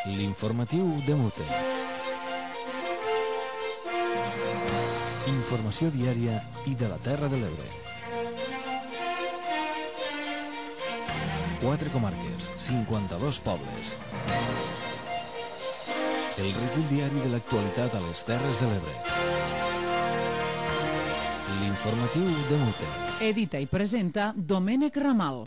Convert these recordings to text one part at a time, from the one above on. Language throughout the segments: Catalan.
L'informatiu de Mute. Informació diària i de la Terra de l'Ebre. 4 comarques, 52 pobles. El recull diari de l'actualitat a les Terres de l'Ebre. L'informatiu de Mute. Edita i presenta Domènec Ramal.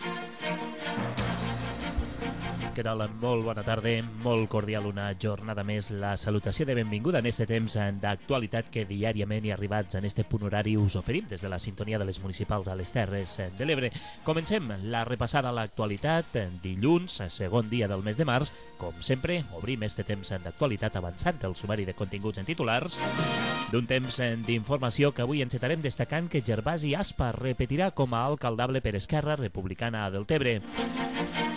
Què tal? Molt bona tarda, molt cordial una jornada més. La salutació de benvinguda en este temps d'actualitat que diàriament i arribats en este punt horari us oferim des de la sintonia de les municipals a les Terres de l'Ebre. Comencem la repassada a l'actualitat dilluns, segon dia del mes de març. Com sempre, obrim este temps d'actualitat avançant el sumari de continguts en titulars d'un temps d'informació que avui encetarem destacant que Gervasi Aspa repetirà com a alcaldable per Esquerra Republicana a Deltebre.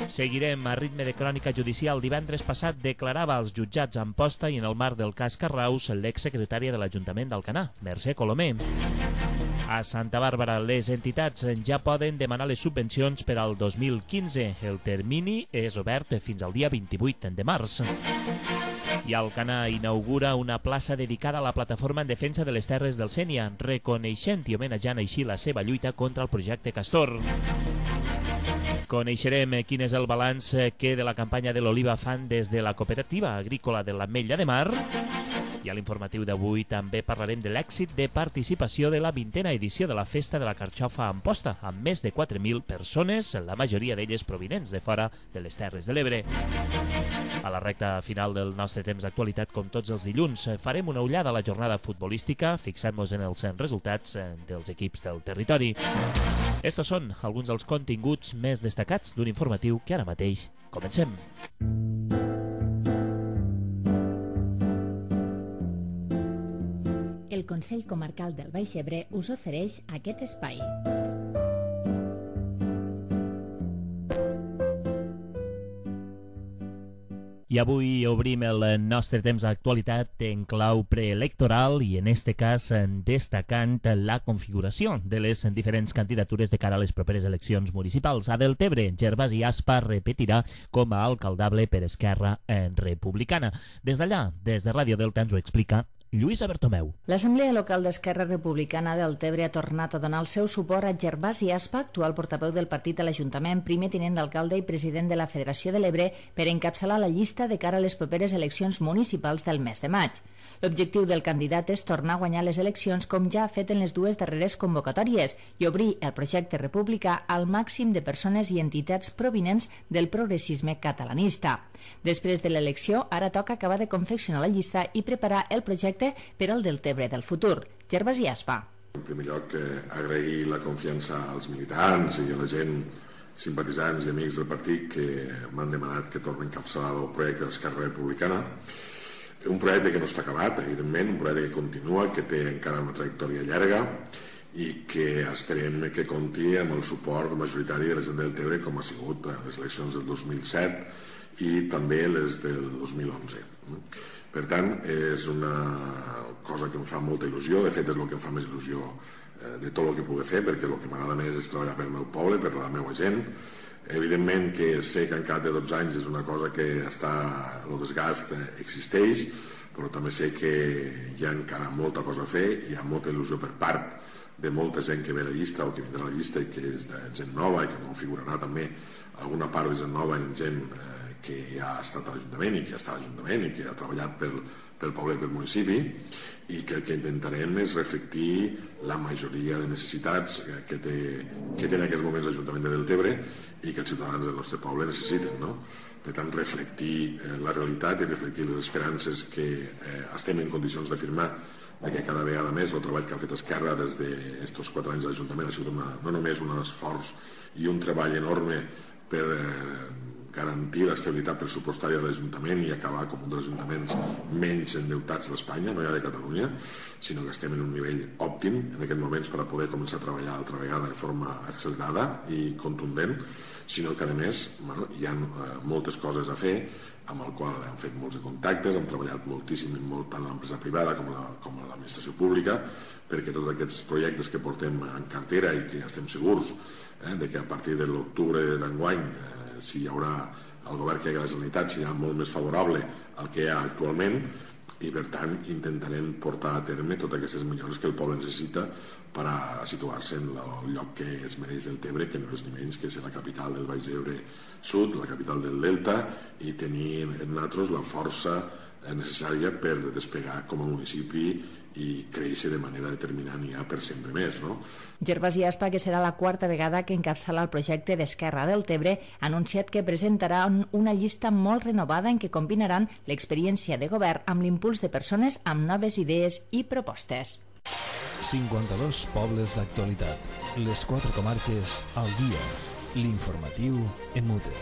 Seguirem a ritme de crònica judicial. Divendres passat declarava als jutjats a Amposta i en el marc del cas Carraus l'exsecretària de l'Ajuntament d'Alcanar, Mercè Colomer. A Santa Bàrbara, les entitats ja poden demanar les subvencions per al 2015. El termini és obert fins al dia 28 de març. I Alcanar inaugura una plaça dedicada a la plataforma en defensa de les terres del Sénia, reconeixent i homenatjant així la seva lluita contra el projecte Castor. Coneixerem quin és el balanç que de la campanya de l'oliva fan des de la cooperativa agrícola de l'Ametlla de Mar. I a l'informatiu d'avui també parlarem de l'èxit de participació de la 20a edició de la Festa de la Carxofa a Amposta, amb més de 4.000 persones, la majoria d'elles provinents de fora de les Terres de l'Ebre. A la recta final del nostre temps d'actualitat, com tots els dilluns, farem una ullada a la jornada futbolística, fixant-nos en els resultats dels equips del territori. Estos són alguns dels continguts més destacats d'un informatiu que ara mateix comencem. El Consell Comarcal del Baix Ebre us ofereix aquest espai. I avui obrim el nostre temps d'actualitat en clau preelectoral i en este cas destacant la configuració de les diferents candidatures de cara a les properes eleccions municipals. A Deltebre, Gervasi Aspa repetirà com a alcaldable per Esquerra Republicana. Des d'allà, des de Ràdio Delta, ens ho explica Lluïsa Bertomeu. L'Assemblea Local d'Esquerra Republicana del Tebre ha tornat a donar el seu suport a Gervasi Aspa, actual portaveu del partit a l'Ajuntament, primer tinent d'alcalde i president de la Federació de l'Ebre, per encapçalar la llista de cara a les properes eleccions municipals del mes de maig. L'objectiu del candidat és tornar a guanyar les eleccions com ja ha fet en les dues darreres convocatòries i obrir el projecte republicà al màxim de persones i entitats provinents del progressisme catalanista. Després de l'elecció, ara toca acabar de confeccionar la llista i preparar el projecte per al Deltebre del futur. Gervasi Aspa. En primer lloc, agrair la confiança als militants i a la gent, simpatitzants i amics del partit que m'han demanat que torni a encapçalar el projecte d'Esquerra Republicana. Un projecte que no està acabat, evidentment, un projecte que continua, que té encara una trajectòria llarga i que esperem que compti amb el suport majoritari de la gent del Tebre, com ha sigut a les eleccions del 2007 i també les del 2011. Per tant, és una cosa que em fa molta il·lusió, de fet és el que em fa més il·lusió de tot el que pugui fer, perquè el que m'agrada més és treballar pel meu poble, per la meva gent. Evidentment que sé que en cap de 12 anys és una cosa que el desgast existeix, però també sé que hi ha encara molta cosa a fer, hi ha molta il·lusió per part de molta gent que ve a la llista o que vindrà a la llista i que és de gent nova i que configurarà també alguna part de gent nova i gent que ja ha estat a l'Ajuntament i que està a l'Ajuntament i que ha treballat pel poble i pel municipi, i que el que intentarem és reflectir la majoria de necessitats que té en aquests moments l'Ajuntament de Deltebre i que els ciutadans del nostre poble necessiten, no? Per tant, reflectir la realitat i reflectir les esperances que estem en condicions d'afirmar de que cada vegada més el treball que ha fet Esquerra des d'aquests 4 anys a l'Ajuntament ha sigut no només un esforç i un treball enorme per garantir l'estabilitat pressupostària de l'Ajuntament i acabar com un dels ajuntaments menys endeutats d'Espanya, no ja de Catalunya, sinó que estem en un nivell òptim en aquests moments per a poder començar a treballar altra vegada de forma accelerada i contundent, sinó que a més hi ha moltes coses a fer amb el qual hem fet molts contactes, hem treballat moltíssim molt tant a l'empresa privada com a l'administració pública, perquè tots aquests projectes que portem en cartera i que estem segurs de que a partir de l'octubre d'enguany si hi haurà el govern que hi ha a la Generalitat serà molt més favorable al que hi ha actualment i per tant intentarem portar a terme totes aquestes millores que el poble necessita per a situar-se en el lloc que es mereix del Tebre, que no és ni menys que ser la capital del Baix Ebre Sud, la capital del Delta, i tenir en nosaltres la força necessària per despegar com a municipi i créixer de manera determinant ja per sempre més, no? Gervasi Aspa, que serà la quarta vegada que encapçala el projecte d'Esquerra del Tebre, ha anunciat que presentaran una llista molt renovada en què combinaran l'experiència de govern amb l'impuls de persones amb noves idees i propostes. 52 pobles d'actualitat. Les 4 comarques al dia. L'informatiu en mute.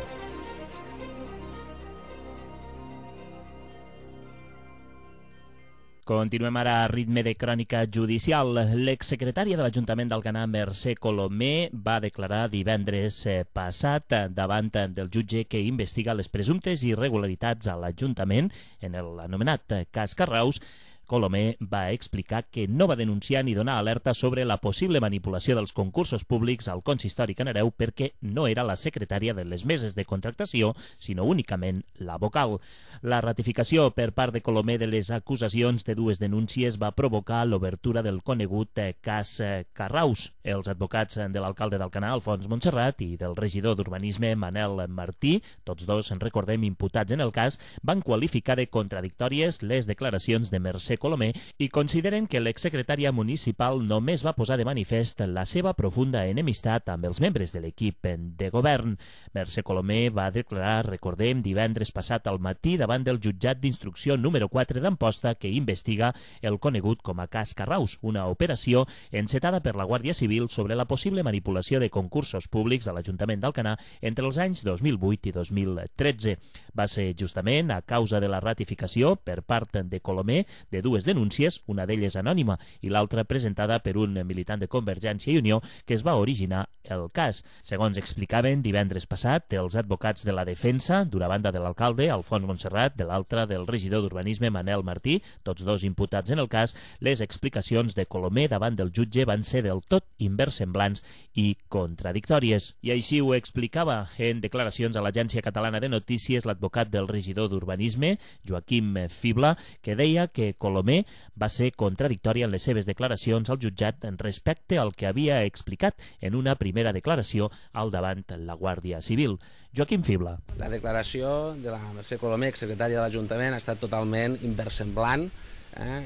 Continuem ara a ritme de crònica judicial. L'exsecretària de l'Ajuntament d'Alcanar, Mercè Colomer, va declarar divendres passat davant del jutge que investiga les presumptes irregularitats a l'Ajuntament en l'anomenat cas Carraus. Colomer va explicar que no va denunciar ni donar alerta sobre la possible manipulació dels concursos públics al consistori canareu perquè no era la secretària de les meses de contractació, sinó únicament la vocal. La ratificació per part de Colomer de les acusacions de dues denúncies va provocar l'obertura del conegut cas Carraus. Els advocats de l'alcalde d'Alcanar, Alfons Montserrat, i del regidor d'Urbanisme, Manel Martí, tots dos, en recordem, imputats en el cas, van qualificar de contradictòries les declaracions de Mercè Colomer i consideren que l'exsecretària municipal només va posar de manifest la seva profunda enemistat amb els membres de l'equip de govern. Mercè Colomer va declarar, recordem, divendres passat al matí davant del jutjat d'instrucció número 4 d'Amposta que investiga el conegut com a cas Carraus, una operació encetada per la Guàrdia Civil sobre la possible manipulació de concursos públics a l'Ajuntament d'Alcanar entre els anys 2008 i 2013. Va ser justament a causa de la ratificació per part de Colomer de dues denúncies, una d'elles anònima i l'altra presentada per un militant de Convergència i Unió, que es va originar el cas. Segons explicaven divendres passat els advocats de la defensa, d'una banda de l'alcalde, Alfons Montserrat, de l'altra del regidor d'Urbanisme, Manel Martí, tots dos imputats en el cas, les explicacions de Colomer davant del jutge van ser del tot inversemblants i contradictòries. I així ho explicava en declaracions a l'Agència Catalana de Notícies l'advocat del regidor d'Urbanisme, Joaquim Fibla, que deia que Colomer va ser contradictòria en les seves declaracions al jutjat respecte al que havia explicat en una primera declaració al davant la Guàrdia Civil. Joaquim Fibla. La declaració de la Mercè Colomer, secretària de l'Ajuntament, ha estat totalment inversemblant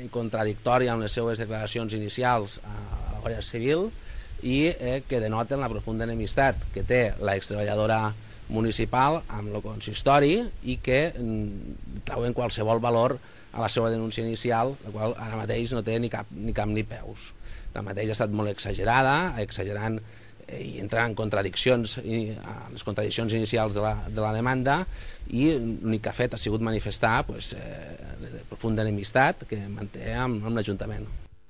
i contradictòria amb les seves declaracions inicials a la Guàrdia Civil i que denoten la profunda enemistat que té l'extreballadora municipal amb el consistori i que treuen qualsevol valor a la seva denúncia inicial, la qual ara mateix no té ni cap ni peus. Tanmateix ha estat molt exagerant i entrant en contradiccions, les contradiccions inicials de la demanda, i l'únic que ha fet ha sigut manifestar profunda enemistat que manté amb l'Ajuntament.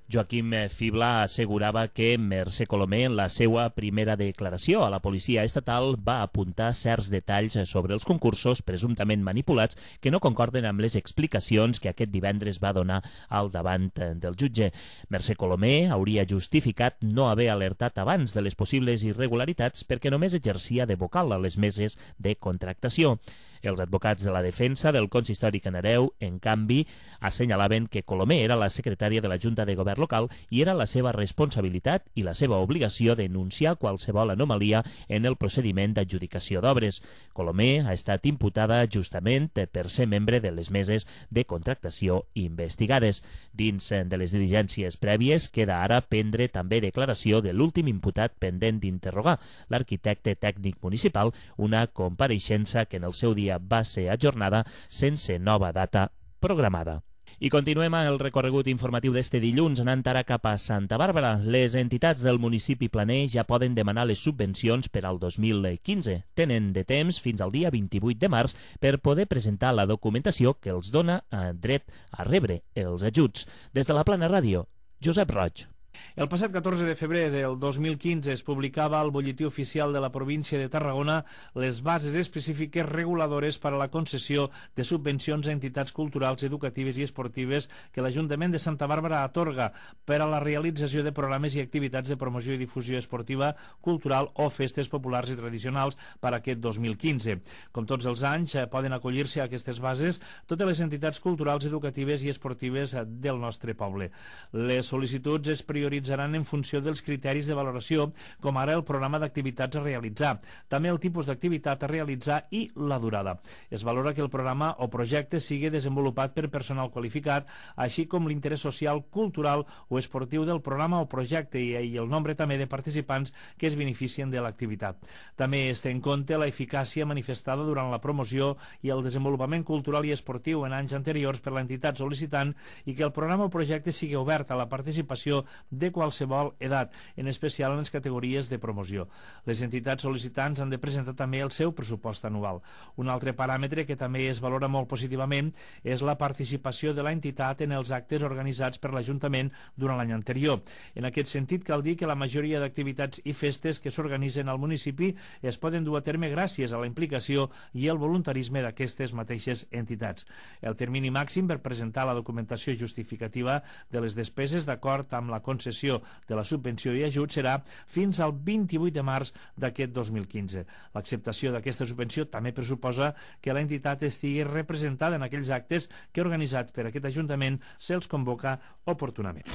Joaquim Fibla assegurava que Mercè Colomer, en la seva primera declaració a la policia estatal, va apuntar certs detalls sobre els concursos presumptament manipulats que no concorden amb les explicacions que aquest divendres va donar al davant del jutge. Mercè Colomer hauria justificat no haver alertat abans de les possibles irregularitats perquè només exercia de vocal a les meses de contractació. Els advocats de la defensa del consistori canareu, en canvi, assenyalaven que Colomer era la secretària de la Junta de Govern local i era la seva responsabilitat i la seva obligació denunciar qualsevol anomalia en el procediment d'adjudicació d'obres. Colomer ha estat imputada justament per ser membre de les meses de contractació investigades. Dins de les diligències prèvies queda ara prendre també declaració de l'últim imputat pendent d'interrogar, l'arquitecte tècnic municipal, una compareixença que en el seu dia va ser ajornada sense nova data programada. I continuem el recorregut informatiu d'este dilluns anant ara cap a Santa Bàrbara. Les entitats del municipi planer ja poden demanar les subvencions per al 2015. Tenen de temps fins al dia 28 de març per poder presentar la documentació que els dona dret a rebre els ajuts. Des de la Plana Ràdio, Josep Roig. El passat 14 de febrer del 2015 es publicava al Butlletí Oficial de la província de Tarragona les bases específiques reguladores per a la concessió de subvencions a entitats culturals, educatives i esportives que l'Ajuntament de Santa Bàrbara atorga per a la realització de programes i activitats de promoció i difusió esportiva, cultural o festes populars i tradicionals per a aquest 2015. Com tots els anys, poden acollir-se a aquestes bases totes les entitats culturals, educatives i esportives del nostre poble. Les sol·licituds es prioritzaran en funció dels criteris de valoració, com ara el programa d'activitats a realitzar, també el tipus d'activitat a realitzar i la durada. Es valora que el programa o projecte sigui desenvolupat per personal qualificat, així com l'interès social, cultural o esportiu del programa o projecte i el nombre també de participants que es beneficien de l'activitat. També es té en compte la eficàcia manifestada durant la promoció i el desenvolupament cultural i esportiu en anys anteriors per l'entitat sol·licitant i que el programa o projecte sigui obert a la participació de qualsevol edat, en especial en les categories de promoció. Les entitats sol·licitants han de presentar també el seu pressupost anual. Un altre paràmetre que també es valora molt positivament és la participació de l'entitat en els actes organitzats per l'Ajuntament durant l'any anterior. En aquest sentit, cal dir que la majoria d'activitats i festes que s'organitzen al municipi es poden dur a terme gràcies a la implicació i el voluntarisme d'aquestes mateixes entitats. El termini màxim per presentar la documentació justificativa de les despeses d'acord amb la concessió de la subvenció i ajut serà fins al 28 de març d'aquest 2015. L'acceptació d'aquesta subvenció també pressuposa que l'entitat estigui representada en aquells actes que organitzats per aquest Ajuntament se'ls convoca oportunament.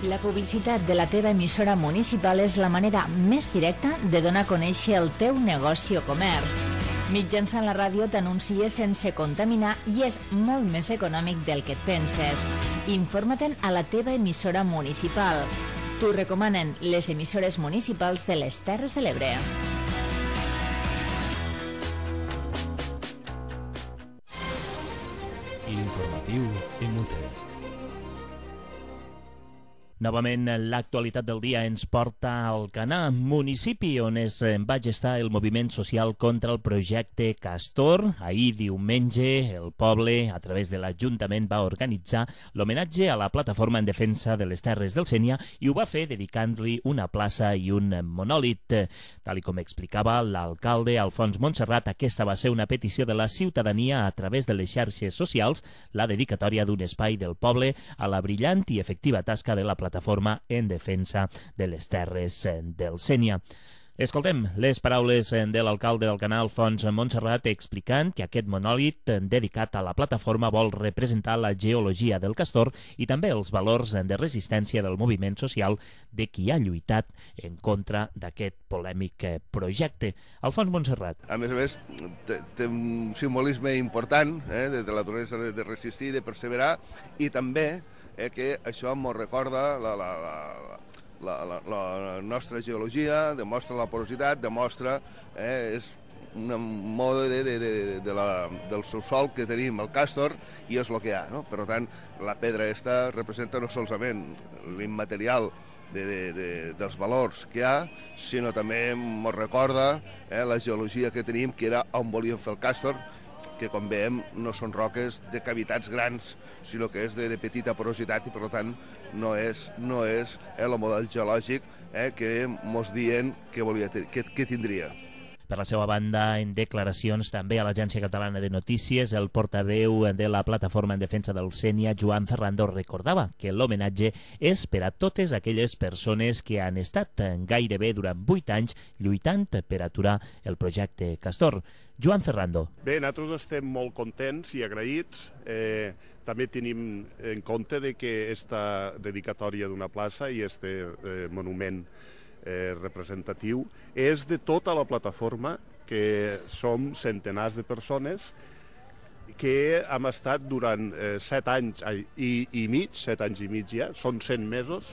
La publicitat de la teva emissora municipal és la manera més directa de donar a conèixer el teu negoci o comerç. Mitjançant la ràdio t'anuncies sense contaminar i és molt més econòmic del que et penses. Informa-te'n a la teva emissora municipal. T'ho recomanen les emissores municipals de les Terres de l'Ebre. L'informatiu en UTE. Novament, l'actualitat del dia ens porta al Canà, municipi on es va gestar el moviment social contra el projecte Castor. Ahir, diumenge, el poble, a través de l'Ajuntament, va organitzar l'homenatge a la plataforma en defensa de les Terres del Sénia i ho va fer dedicant-li una plaça i un monòlit. Tal com explicava l'alcalde Alfons Montserrat, aquesta va ser una petició de la ciutadania a través de les xarxes socials, la dedicatòria d'un espai del poble a la brillant i efectiva tasca de la plataforma en defensa de les Terres del Sénia. Escoltem les paraules de l'alcalde del Canà, Alfons Montserrat, explicant que aquest monòlit dedicat a la plataforma vol representar la geologia del castor i també els valors de resistència del moviment social de qui ha lluitat en contra d'aquest polèmic projecte. Alfons Montserrat. A més, té un simbolisme important de la naturalesa de resistir, de perseverar, i també que això ens recorda la nostra geologia, demostra la porositat, demostra és un mode del subsòl que tenim, el càstor, i és el que hi ha. No? Per tant, la pedra aquesta representa no solament l'immaterial dels valors que hi ha, sinó també ens recorda la geologia que tenim, que era on volíem fer el càstor, que, com veiem, no són roques de cavitats grans, sinó que és de petita porositat i, per tant, no és el model geològic que ens diuen que tindria. Per la seva banda, en declaracions també a l'Agència Catalana de Notícies, el portaveu de la plataforma en defensa del Sénia, Joan Ferrando, recordava que l'homenatge és per a totes aquelles persones que han estat gairebé durant 8 anys lluitant per aturar el projecte Castor. Joan Ferrando. Bé, nosaltres estem molt contents i agraïts. També tenim en compte que aquesta dedicatòria d'una plaça i aquest monument representatiu és de tota la plataforma, que som centenars de persones que hem estat durant 7 anys i mig, 7 anys i mig ja, són 100 mesos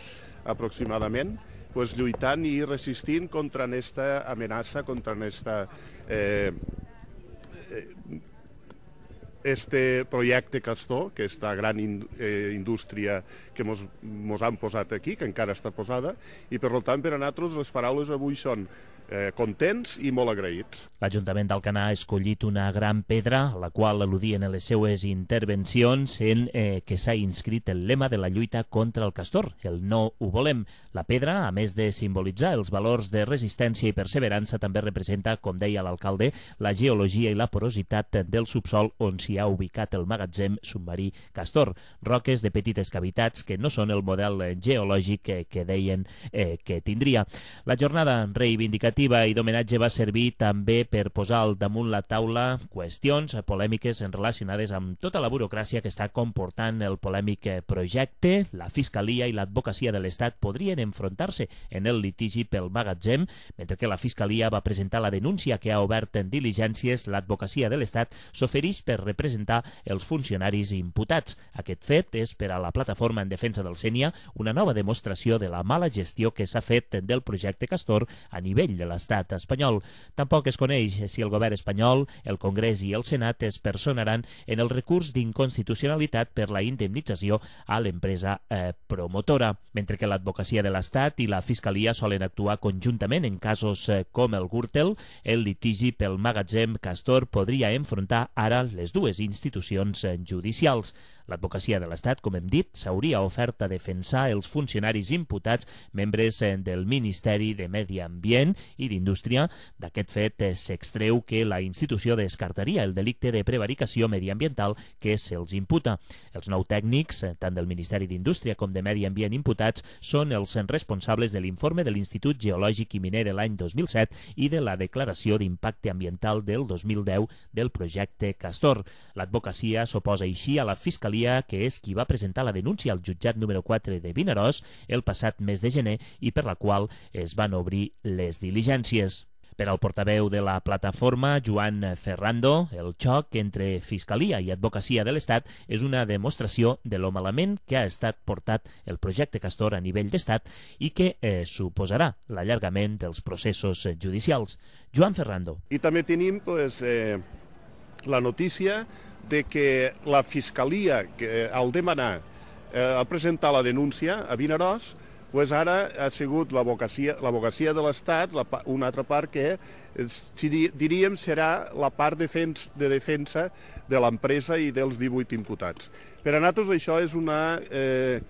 aproximadament, lluitant i resistint contra aquesta amenaça, contra aquesta este projecte Castor, que esta gran indústria que mos han posat aquí, que encara està posada, i per tant per a nosaltres les paraules avui són contents i molt agraïts. L'Ajuntament d'Alcanar ha escollit una gran pedra, a la qual al·ludien en les seues intervencions en que s'ha inscrit el lema de la lluita contra el castor, el no ho volem. La pedra, a més de simbolitzar els valors de resistència i perseverança, també representa, com deia l'alcalde, la geologia i la porositat del subsol on s'hi ha ubicat el magatzem submarí Castor. Roques de petites cavitats que no són el model geològic que deien que tindria. La jornada reivindicativa i d'homenatge va servir també per posar al damunt la taula qüestions polèmiques relacionades amb tota la burocràcia que està comportant el polèmic projecte. La Fiscalia i l'Advocacia de l'Estat podrien enfrontar-se en el litigi pel magatzem, mentre que la Fiscalia va presentar la denúncia que ha obert en diligències. L'Advocacia de l'Estat s'ofereix per representar els funcionaris imputats. Aquest fet és per a la Plataforma en Defensa del Sénia una nova demostració de la mala gestió que s'ha fet del projecte Castor a nivell de l'estat espanyol. Tampoc es coneix si el govern espanyol, el Congrés i el Senat es personaran en el recurs d'inconstitucionalitat per la indemnització a l'empresa promotora, mentre que l'Advocacia de l'Estat i la Fiscalia solen actuar conjuntament en casos com el Gürtel. El litigi pel magatzem Castor podria enfrontar ara les dues institucions judicials. L'Advocacia de l'Estat, com hem dit, s'hauria ofert a defensar els funcionaris imputats, membres del Ministeri de Medi Ambient i d'Indústria. D'aquest fet s'extreu que la institució descartaria el delicte de prevaricació mediambiental que se'ls imputa. Els 9 tècnics, tant del Ministeri d'Indústria com de Medi Ambient imputats, són els responsables de l'informe de l'Institut Geològic i Miner de l'any 2007 i de la declaració d'impacte ambiental del 2010 del projecte Castor. L'advocacia s'oposa així a la Fiscalia, que és qui va presentar la denúncia al jutjat número 4 de Vinaròs el passat mes de gener i per la qual es van obrir les diligències. Per al portaveu de la plataforma, Joan Ferrando, el xoc entre Fiscalia i Advocacia de l'Estat és una demostració de lo malament que ha estat portat el projecte Castor a nivell d'Estat i que suposarà l'allargament dels processos judicials. Joan Ferrando. I també tenim la notícia de que la Fiscalia, que al demanar, al presentar la denúncia a Vinaròs, ara ha sigut l'Advocacia de l'Estat, una altra part que diríem serà la part de defensa de l'empresa i dels 18 imputats. Per a nosaltres això és una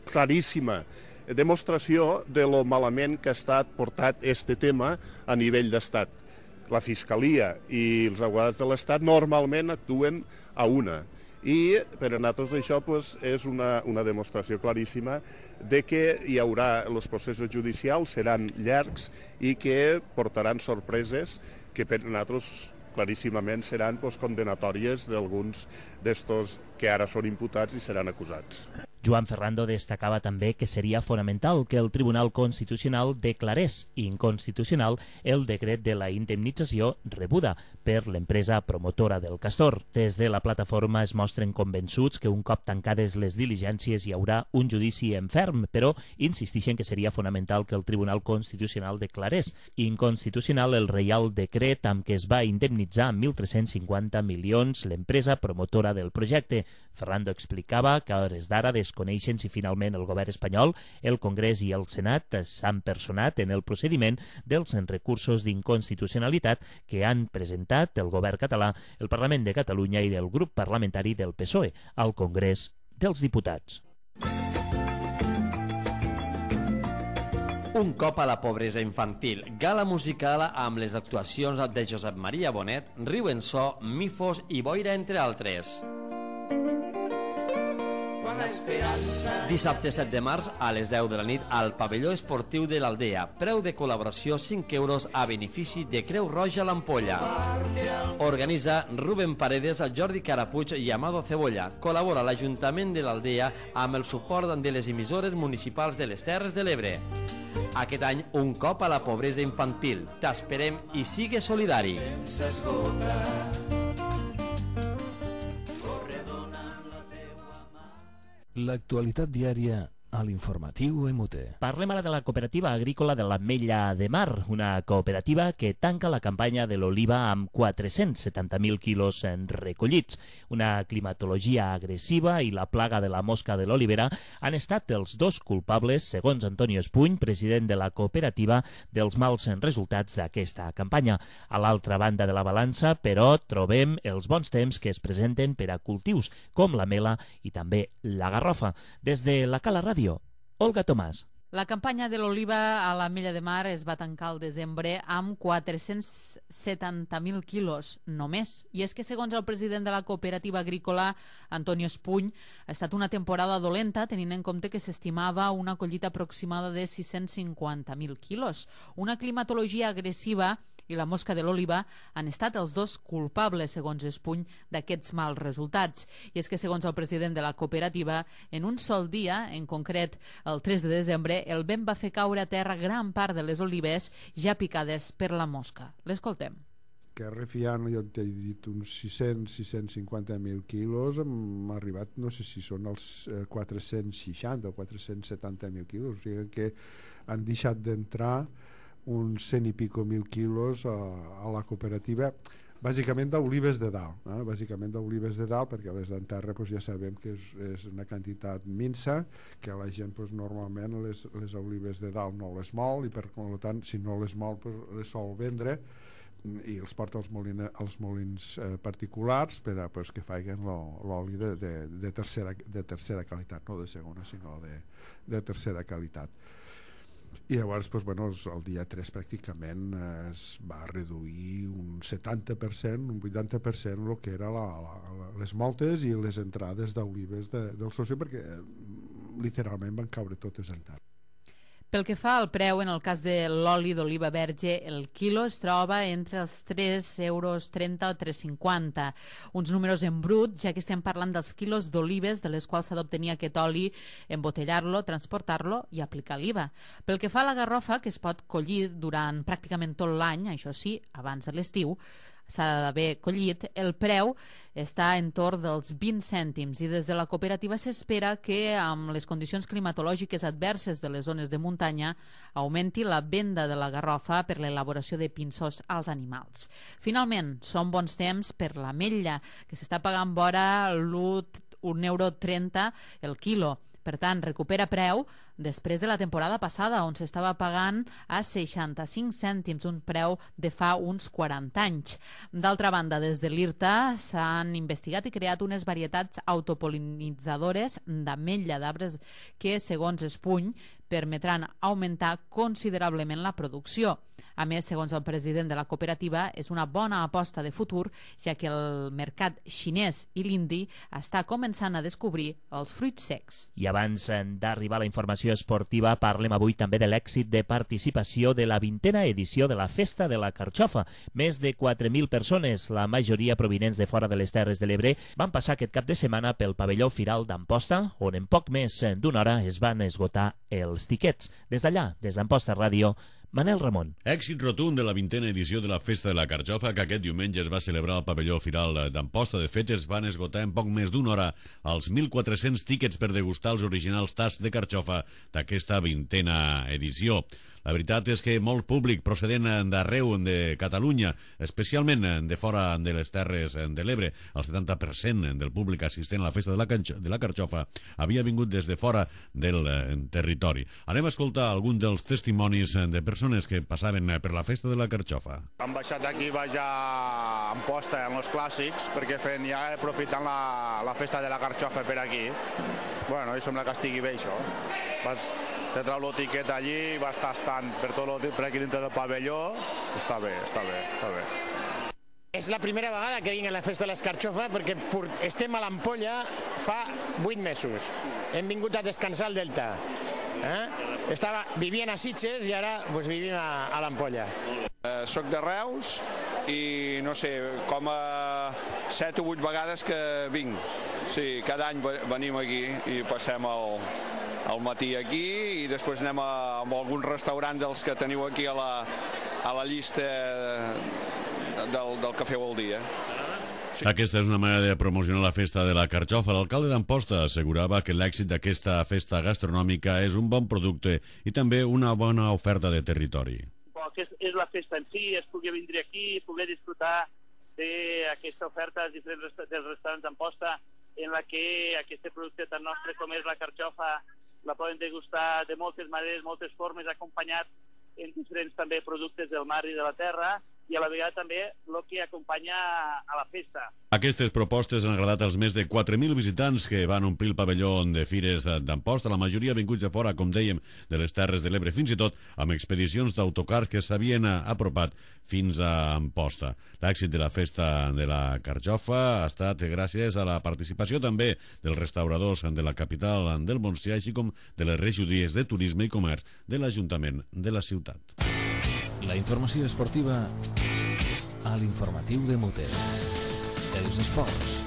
claríssima demostració de lo malament que ha estat portat este tema a nivell d'Estat. La Fiscalia i els advocats de l'Estat normalment actuen a una. I per a nosaltres això és una demostració claríssima de que hi haurà, els processos judicials seran llargs i que portaran sorpreses que per a nosaltres claríssimament seran condenatòries d'alguns d'estos que ara són imputats i seran acusats. Joan Ferrando destacava també que seria fonamental que el Tribunal Constitucional declarés inconstitucional el decret de la indemnització rebuda per l'empresa promotora del Castor. Des de la plataforma es mostren convençuts que un cop tancades les diligències hi haurà un judici en ferm, però insisteixen que seria fonamental que el Tribunal Constitucional declarés inconstitucional el reial decret amb què es va indemnitzar amb 1.350 milions l'empresa promotora del projecte. Ferrando explicava que a hores d'ara desconeixen si finalment el govern espanyol, el Congrés i el Senat s'han personat en el procediment dels recursos d'inconstitucionalitat que han presentat el govern català, el Parlament de Catalunya i el grup parlamentari del PSOE al Congrés dels Diputats. Un cop a la pobresa infantil, gala musical amb les actuacions de Josep Maria Bonet, Riu en So, Mifos i Boira, entre altres. Dissabte 7 de març a les 10 de la nit al pavelló esportiu de l'Aldea. Preu de col·laboració 5 euros a benefici de Creu Roja l'Ampolla. Organitza Rubén Paredes, Jordi Carapuig i Amado Cebolla. Col·labora l'Ajuntament de l'Aldea amb el suport de les emissores municipals de les Terres de l'Ebre. Aquest any, un cop a la pobresa infantil. T'esperem i sigue solidari. L'actualitat diària a l'informatiu EMUTE. Parlem ara de la cooperativa agrícola de l'Ametlla de Mar, una cooperativa que tanca la campanya de l'oliva amb 470.000 quilos recollits. Una climatologia agressiva i la plaga de la mosca de l'olivera han estat els dos culpables, segons Antonio Espuny, president de la cooperativa, dels mals resultats d'aquesta campanya. A l'altra banda de la balança, però, trobem els bons temps que es presenten per a cultius com la mela i també la garrofa. Des de la Cala Ràdio, Olga Tomàs. La campanya de l'oliva a l'Ametlla de Mar es va tancar al desembre amb 470.000 quilos només. I és que, segons el president de la cooperativa agrícola, Antonio Espuny, ha estat una temporada dolenta, tenint en compte que s'estimava una collita aproximada de 650.000 quilos. Una climatologia agressiva i la mosca de l'oliva han estat els dos culpables, segons Espuny, d'aquests mals resultats. I és que, segons el president de la cooperativa, en un sol dia, en concret el 3 de desembre, el vent va fer caure a terra gran part de les olives ja picades per la mosca. L'escoltem. Que refiant, jo t'he dit uns 650.000 quilos, hem arribat, no sé si són els 460 o 470.000 quilos, o sigui que han deixat d'entrar uns 100 i pico mil quilos a la cooperativa, bàsicament d'olives de dalt, perquè les d'enterra ja sabem que és una quantitat minsa, que la gent normalment les olives de dalt no les mol i per tant si no les mol les sol vendre i els porta als molins particulars per a que facin l'oli de tercera qualitat, no de segona sinó de tercera qualitat. I llavors el dia 3 pràcticament es va reduir un 70%, un 80% el que eren les moltes i les entrades d'olives del soci, perquè literalment van caure totes en terra. Pel que fa al preu, en el cas de l'oli d'oliva verge, el quilo es troba entre els 3,30 euros o 3,50. Uns números en brut, ja que estem parlant dels quilos d'olives de les quals s'ha d'obtenir aquest oli, embotellar-lo, transportar-lo i aplicar l'IVA. Pel que fa a la garrofa, que es pot collir durant pràcticament tot l'any, això sí, abans de l'estiu, s'ha d'haver collit, el preu està entorn dels 20 cèntims i des de la cooperativa s'espera que amb les condicions climatològiques adverses de les zones de muntanya augmenti la venda de la garrofa per l'elaboració de pinsos als animals. Finalment, són bons temps per l'ametlla, que s'està pagant vora €1,30 el quilo. Per tant, recupera preu després de la temporada passada, on s'estava pagant a 65 cèntims, un preu de fa uns 40 anys. D'altra banda, des de l'IRTA s'han investigat i creat unes varietats autopol·linitzadores d'ametlla d'arbres que, segons Espuny, permetran augmentar considerablement la producció. A més, segons el president de la cooperativa, és una bona aposta de futur, ja que el mercat xinès i l'indi està començant a descobrir els fruits secs. I abans d'arribar a la informació esportiva, parlem avui també de l'èxit de participació de la 20a edició de la Festa de la Carxofa. Més de 4.000 persones, la majoria provinents de fora de les Terres de l'Ebre, van passar aquest cap de setmana pel pavelló Firal d'Amposta, on en poc més d'una hora es van esgotar els tiquets. Des d'allà, des d'Amposta Ràdio, Manel Ramon. Èxit rotund de la 20a edició de la Festa de la Carxofa, que aquest diumenge es va celebrar al pavelló Firal d'Amposta. De fet, es van esgotar en poc més d'una hora els 1.400 tíquets per degustar els originals tasts de carxofa d'aquesta 20a edició. La veritat és que molt públic procedent d'arreu de Catalunya, especialment de fora de les Terres de l'Ebre, el 70% del públic assistent a la Festa de la Carxofa havia vingut des de fora del territori. Anem a escoltar algun dels testimonis de persones que passaven per la Festa de la Carxofa. Hem baixat aquí a Amposta, en els clàssics, perquè ja aprofitant la Festa de la Carxofa per aquí. Bueno, i sembla que estigui bé, això. Te trau l'etiquet allí, va estar per aquí dintre del pavelló. Està bé. És la primera vegada que vinc a la Festa de l'Escarxofa perquè estem a l'Ampolla fa 8 mesos. Hem vingut a descansar al Delta. Vivien a Sitges i ara vivim a l'Ampolla. Soc de Reus i no sé, com a 7 o 8 vegades que vinc. Sí, cada any venim aquí i passem al matí aquí i després anem a algun restaurant dels que teniu aquí a la llista del que feu al dia. Sí. Aquesta és una manera de promocionar la festa de la carxofa. L'alcalde d'Amposta assegurava que l'èxit d'aquesta festa gastronòmica és un bon producte i també una bona oferta de territori. Que és la festa en si, es pugui vindre aquí i poder disfrutar d'aquesta oferta dels diferents dels restaurants d'Amposta en la que aquest producte tan nostre com és la carxofa la poden degustar de moltes maneres, moltes formes, acompanyat en diferents també productes del mar i de la terra i a la vegada també el que acompanya a la festa. Aquestes propostes han agradat als més de 4.000 visitants que van omplir el pavelló de Fires d'Amposta, la majoria vinguts de fora, com dèiem, de les Terres de l'Ebre, fins i tot amb expedicions d'autocars que s'havien apropat fins a Amposta. L'èxit de la festa de la carxofa ha estat gràcies a la participació també dels restauradors de la capital del Montsià, així com de les regidories de Turisme i Comerç de l'Ajuntament de la ciutat. La informació esportiva a l'informatiu de Muter. Els esports.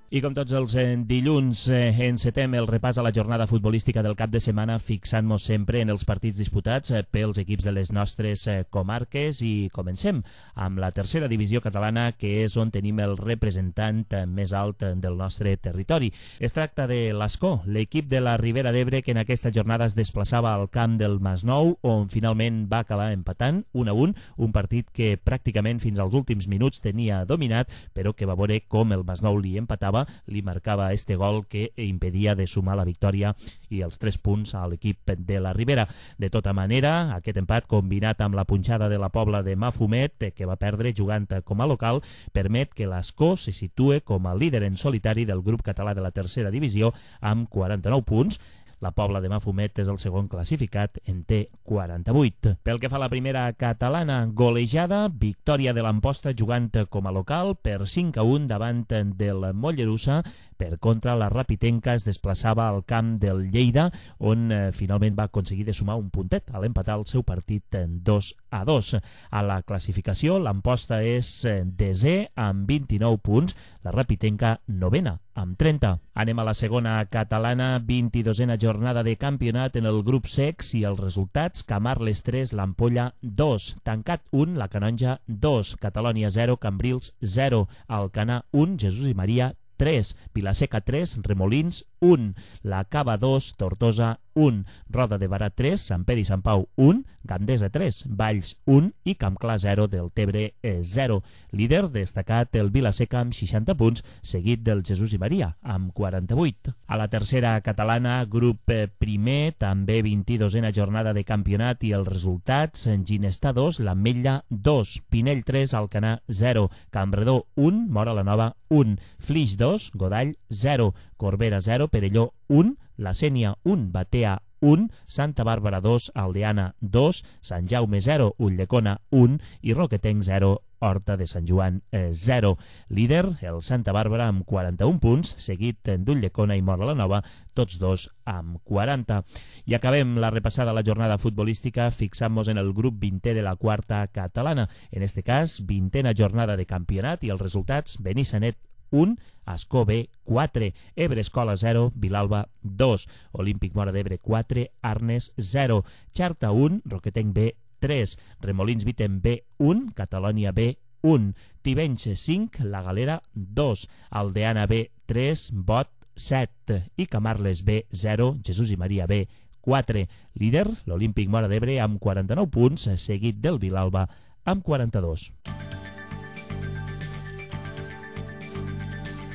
I com tots els dilluns encetem el repàs a la jornada futbolística del cap de setmana fixant-nos sempre en els partits disputats pels equips de les nostres comarques i comencem amb la tercera divisió catalana, que és on tenim el representant més alt del nostre territori. Es tracta de l'Ascó, l'equip de la Ribera d'Ebre, que en aquesta jornada es desplaçava al camp del Masnou, on finalment va acabar empatant 1-1, un partit que pràcticament fins als últims minuts tenia dominat, però que va veure com el Masnou li empatava, li marcava este gol que impedia de sumar la victòria i els 3 punts a l'equip de la Ribera. De tota manera, aquest empat combinat amb la punxada de la Pobla de Mafumet, que va perdre jugant com a local, permet que l'Ascó se situe com a líder en solitari del grup català de la tercera divisió amb 49 punts. La Pobla de Mafumet és el segon classificat, en té 48. Pel que fa a la primera catalana, golejada, victòria de l'Amposta jugant com a local per 5-1 davant del Mollerussa. Per contra, la Rapitenca es desplaçava al camp del Lleida, on finalment va aconseguir de sumar un puntet a l'empatar el seu partit 2-2. A la classificació, l'Amposta és desè amb 29 punts, la Rapitenca novena amb 30. Anem a la segona catalana, 22a jornada de campionat en el grup secs i els resultats: Camarles 3, l'Ampolla 2, Tancat 1, la Canonja 2, Catalònia 0, Cambrils 0, Alcanar 1, Jesús i Maria 3, Vilaseca 3, Remolins 1, la Cava 2, Tortosa 1, Roda de Barà 3, Sant Pere i Sant Pau 1, Gandesa 3, Valls 1 i Campclar 0 del Tebre 0. Líder destacat el Vilaseca amb 60 punts, seguit del Jesús i Maria amb 48. A la tercera catalana, grup primer, també 22a jornada de campionat i els resultats: Ginestar 2, l'Ametlla 2, Pinell 3, Alcanar 0, Campredó 1, Móra la Nova 1, Flix 2, Godall 0, Corbera 0, Perelló 1, La Sénia 1, Batea 1, Santa Bàrbara 2, Aldeana 2, Sant Jaume 0, Ulldecona 1 i Roquetenc 0, Horta de Sant Joan 0. Líder, el Santa Bàrbara amb 41 punts, seguit d'Ulldecona i Móra la Nova, tots dos amb 40. I acabem la repassada a la jornada futbolística fixant-nos en el grup 20è de la quarta catalana. En este cas, 20a jornada de campionat i els resultats: Benissanet 1, Ascó B 4, Ebre Escola 0, Vilalba 2, Olímpic Móra d'Ebre 4, Arnes 0, Xarta 1, Roquetenc B 3, Remolins Vitem B 1, Catalònia B 1, Tivenys 5, La Galera 2, Aldeana B 3, Bot 7 i Camarles B 0, Jesús i Maria B 4. Líder, l'Olímpic Móra d'Ebre amb 49 punts, seguit del Vilalba amb 42.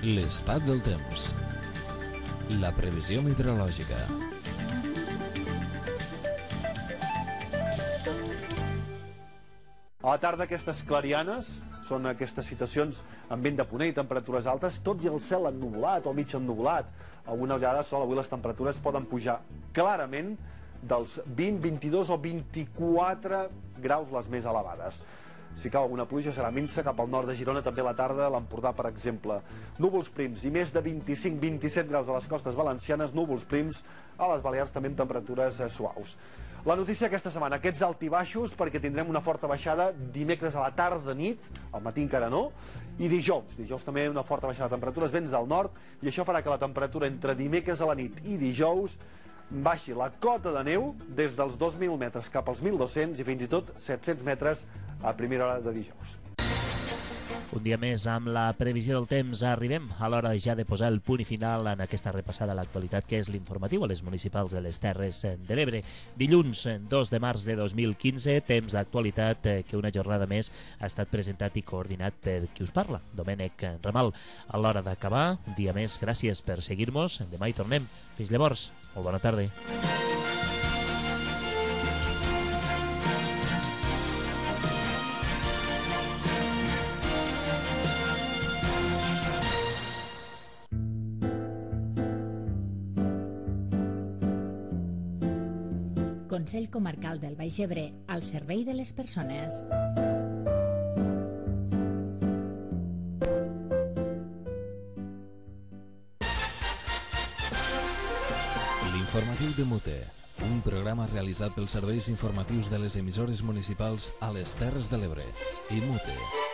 L'estat del temps. La previsió meteorològica. A la tarda, aquestes clarianes són aquestes situacions amb vent de ponent i temperatures altes, tot i el cel ennuvolat o mig ennuvolat. Alguna ullada de sol, avui les temperatures poden pujar clarament dels 20, 22 o 24 graus les més elevades. Si cau alguna pluja serà minsa cap al nord de Girona, també a la tarda, l'Empordà, per exemple. Núvols prims i més de 25-27 graus a les costes valencianes, núvols prims a les Balears també amb temperatures suaus. La notícia aquesta setmana, aquests altibaixos, perquè tindrem una forta baixada dimecres a la tarda nit, al matí encara no, i dijous també una forta baixada de temperatures, vents del nord, i això farà que la temperatura entre dimecres a la nit i dijous baixi la cota de neu des dels 2.000 metres cap als 1.200 i fins i tot 700 metres a primera hora de dijous. Un dia més amb la previsió del temps arribem a l'hora ja de posar el punt i final en aquesta repassada a l'actualitat que és l'informatiu a les municipals de les Terres de l'Ebre. Dilluns 2 de març de 2015, temps d'actualitat que una jornada més ha estat presentat i coordinat per qui us parla, Domènec Ramal. A l'hora d'acabar, un dia més, gràcies per seguir-nos. Demà hi tornem. Fins llavors, molt bona tarda. Consell Comarcal del Baix Ebre, al servei de les persones. L'informatiu de Mute, un programa realitzat pels serveis informatius de les emissores municipals a les Terres de l'Ebre i Mute.